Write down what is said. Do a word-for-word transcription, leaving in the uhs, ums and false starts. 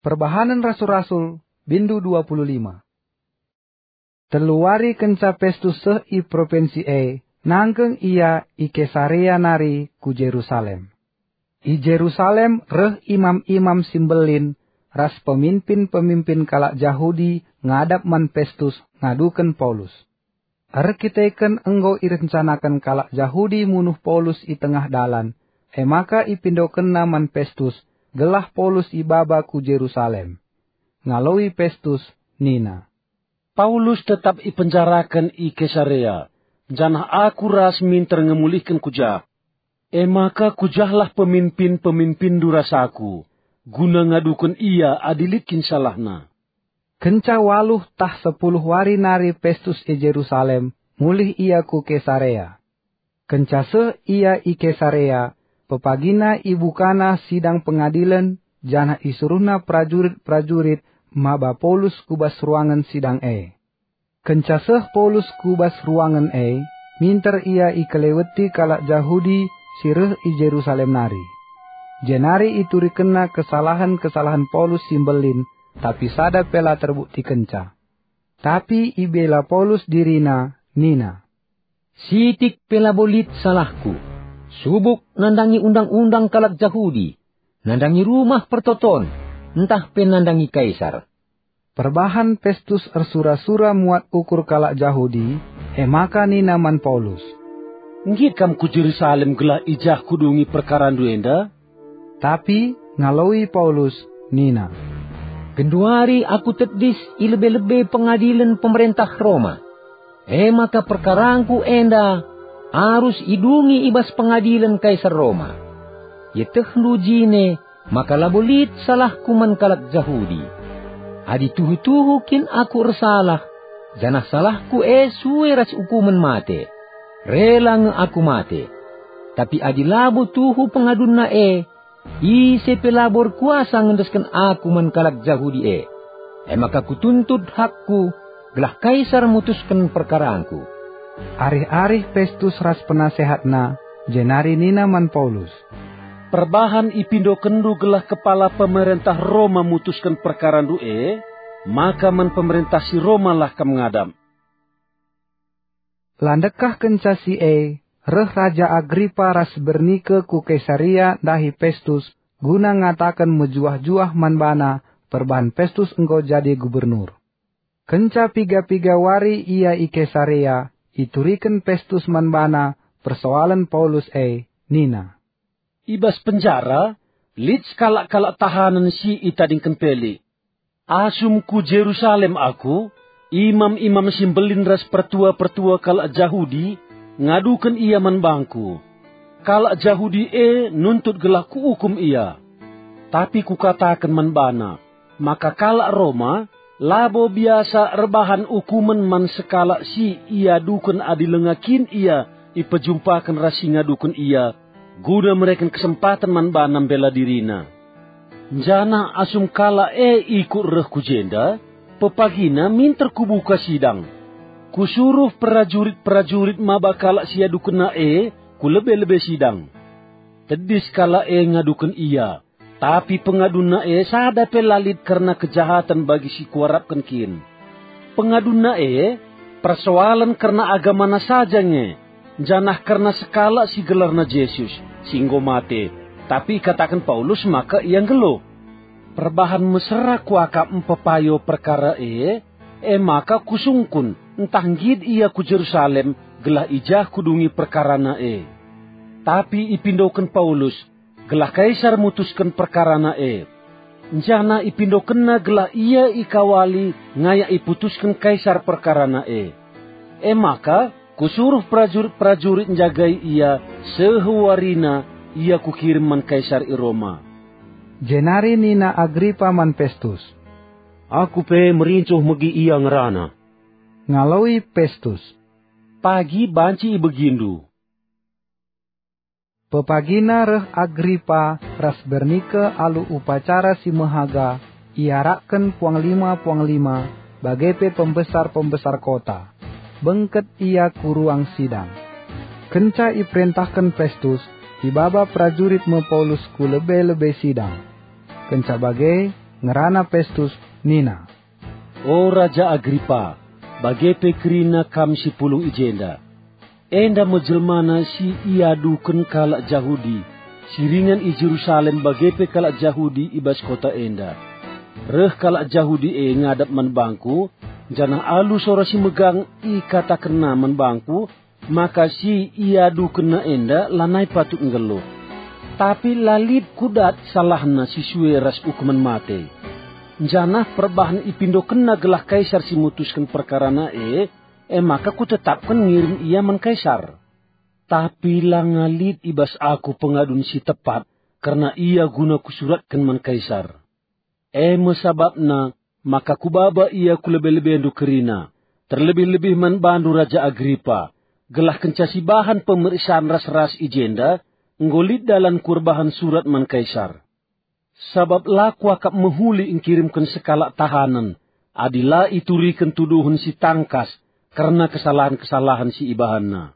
Perbahanen Rasul-Rasul, bindu dua puluh lima. Telu wari kenca Pestus seh i propinsi e, nangkeng ia i Kesarea nari ku Jerusalem. I Jerusalem reh imam-imam si mbelin ras peminpin-peminpin kalak Jahudi ngadap man Pestus ngaduken Paulus. Erkiteken enggo irencanaken kalak Jahudi munuh Paulus i tengah dalan, e maka ipindokenna man Pestus gelah Paulus ibaba ku Jerusalem. Ngaloi Pestus nina, "Paulus tetap ipenjaraken i Kesarea, janah aku ras minter nge mulihken ku jah. E maka ku jahlah peminpin-peminpinndu ras aku, guna ngaduken ia adi lit kin salahna." Kenca waluh tah sepuluh wari nari Pestus i Jerusalem, mulih ia ku Kesarea. Kenca seh ia i Kesarea, pepagina ibukana sidang pengadilen, janah isuruhna perajurit-perajurit maba Paulus ku bas ruangen sidang e. Kenca seh Paulus ku bas ruangen e, minter ia ikeleweti kalak Jahudi si reh i Jerusalem nari. Jenari iturikenna kesalahen-kesalahen Paulus si mbelin, tapi sada pe la terbuktikenca. Tapi ibela Paulus dirina, nina, "Sitik pe labo lit salahku, subuk nandangi undang-undang kalak Jahudi, nandangi Rumah Pertoton, ntah pe nandangi Kaisar." Perbahan Pestus ersura-sura muat ukur kalak Jahudi, e maka nina man Paulus, "Nggit kam ku Jerusalem gelah i jah kudungi perkarandu enda?" Tapi ngaloi Paulus nina, "Genduari aku tedis i lebe-lebe pengadilen pemerentah Roma. E maka perkarangku enda arus idungi i bas pengadilen Kaisar Roma. Ietehndu jine maka labo lit salahku man kalak Jahudi. Adi tuhu-tuhu kin aku ersalah, janah salahku e sue ras ukumen mate, rela nge aku mate. Tapi adi labo tuhu pengadunna e, ise pe labo erkuasa ngendesken aku man kalak Jahudi e. E maka kutuntut hakku, gelah Kaisar mutusken perkarangku." Arih-arih Pestus ras penasehatna, jenari nina man Paulus, "Perbahan ipindokenndu gelah kepala pemerentah Roma mutusken perkarandu e, maka man pemerentah si Romalah kam ngadap." La ndekah kenca si e, reh Raja Agripa ras Bernike ku Kesarea ndahi Pestus guna ngataken mejuah-juah man bana perbahan Pestus enggo jadi gubernur. Kenca piga-piga wari ia i Kesarea, ituriken Pestus man bana persoalen Paulus e, nina, "I bas penjara lit sekalak-kalak tahanen si itadingken Pelik. Asum ku Jerusalem aku, imam-imam si mbelin ras pertua-pertua kalak Jahudi ngaduken ia man bangku. Kalak Jahudi e nuntut gelah kuukum ia. Tapi kukataken man bana, maka kalak Roma labo biasa erbahan ukumen man sekalak si iaduken adi langa kin ia ipejumpaken ras si ngaduken ia, guna mereken kesempaten man bana mbela dirina. Janah asum kalak e ikut reh ku jenda, pepagina minter kubuka sidang. Kusuruh perajurit-perajurit maba kalak si iadukenna e ku lebe-lebe sidang. Tedis kalak e ngaduken ia, tapi pengadunna e sada pe la lit kerna kejahaten bagi si kuarapken kin. Pengadunna e persoalen kerna agamana saja nge, janah kerna sekalak si gelarna Jesus, si enggo mate, tapi ikataken Paulus maka ia nggeluh. Perbahan mesera kuakap mpepayo perkara e, e maka kusungkun ntah nggit ia ku Jerusalem gelah i jah kudungi perkarana e. Tapi ipindoken Paulus gelah Kaisar mutusken perkarana e. Janah ipindokenna gelah ia ikawali ngayak iputusken Kaisar perkarana e. E maka, kusuruh perajurit-perajurit njagai ia seh warina ia kukirim man Kaisar i Roma." Jenari nina Agripa man Pestus, "Aku pe merincuh megi ia ngerana." Ngaloi Pestus, "Pagi banci ibegindu." Pepagina reh Agripa ras Bernike alu upacara si mehaga iarakken puanglima-puanglima, bage pe pembesar-pembesar kota. Bengket ia ku ruang sidang. Kenca iperentahken Pestus, ibaba perajurit me Paulus ku lebe-lebe sidang. Kenca bage, Ngerana Pestus nina, "O Raja Agripa, bage pe kerina kam si pulung i jenda. Enda me jelmana si iaduken kalak Jahudi si ringan i Jerusalem bage pe kalak Jahudi i bas kota enda. Reh kalak Jahudi e ngadap man bangku, janah alu sora si megang ikatakenna man bangku maka si iadukenna enda lanai patut nggeluh. Tapi la lit kudat salahna si sue ras ukumen mate. Janah perbahan ipindokenna gelah Kaisar si mutusken perkarana e, e maka kutetapken ngirim ia man Kaisar. Tapi langa lit i bas aku pengadun si tepat kerna ia guna kusuratken man Kaisar. E me sabapna maka kubaba ia ku lebe-lebendu kerina, terlebih-lebih man bandu Raja Agripa, gelah kenca sibahan pemeriksaan ras-ras i jenda, enggo lit dalanku erbahan surat man Kaisar. Sabap la kuakap mehuli engkirimken sekalak tahanen, adi la ituriken tuduhen si tangkas kerna kesalahen-kesalahen si ibahanna."